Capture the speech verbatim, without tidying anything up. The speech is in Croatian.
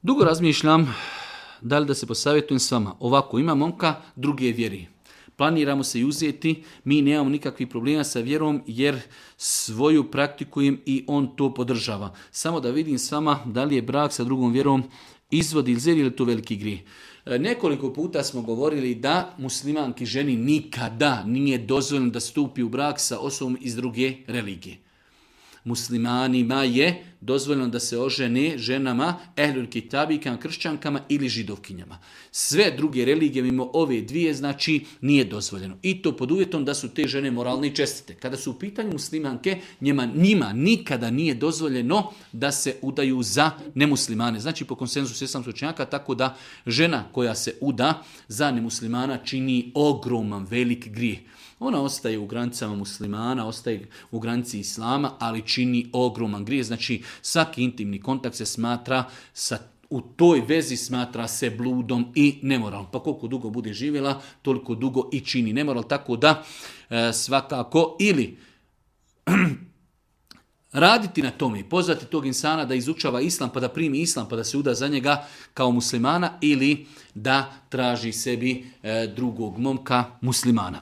Dugo razmišljam da li da se posavjetujem s vama. Ovako, ima momka druge vjeri. Planiramo se i uzeti, mi nemamo nikakvih problema sa vjerom jer svoju praktikujem i on to podržava. Samo da vidim s vama da li je brak sa drugom vjerom izvod ili zer ili je to veliki grijeh. Nekoliko puta smo govorili da muslimanki ženi nikada nije dozvoljeno da stupi u brak sa osobom iz druge religije. Muslimanima je dozvoljeno da se ožene ženama, ehlul kitabikama, kršćankama ili židovkinjama. Sve druge religije mimo ove dvije, znači, nije dozvoljeno. I to pod uvjetom da su te žene moralne i čestite. Kada su u pitanju muslimanke, njima, njima nikada nije dozvoljeno da se udaju za nemuslimane. Znači, po konsenzusu islamskog učenjaka, tako da žena koja se uda za nemuslimana čini ogroman, velik grijeh. Ona ostaje u granicama muslimana, ostaje u granici islama, ali čini ogroman grijeh. Znači, svaki intimni kontakt se smatra, sa, u toj vezi smatra se bludom i nemoralom. Pa koliko dugo bude živjela, toliko dugo i čini nemoral. Tako da e, svakako ili raditi na tome i pozvati tog insana da izučava islam, pa da primi islam, pa da se uda za njega kao muslimana, ili da traži sebi e, drugog momka muslimana.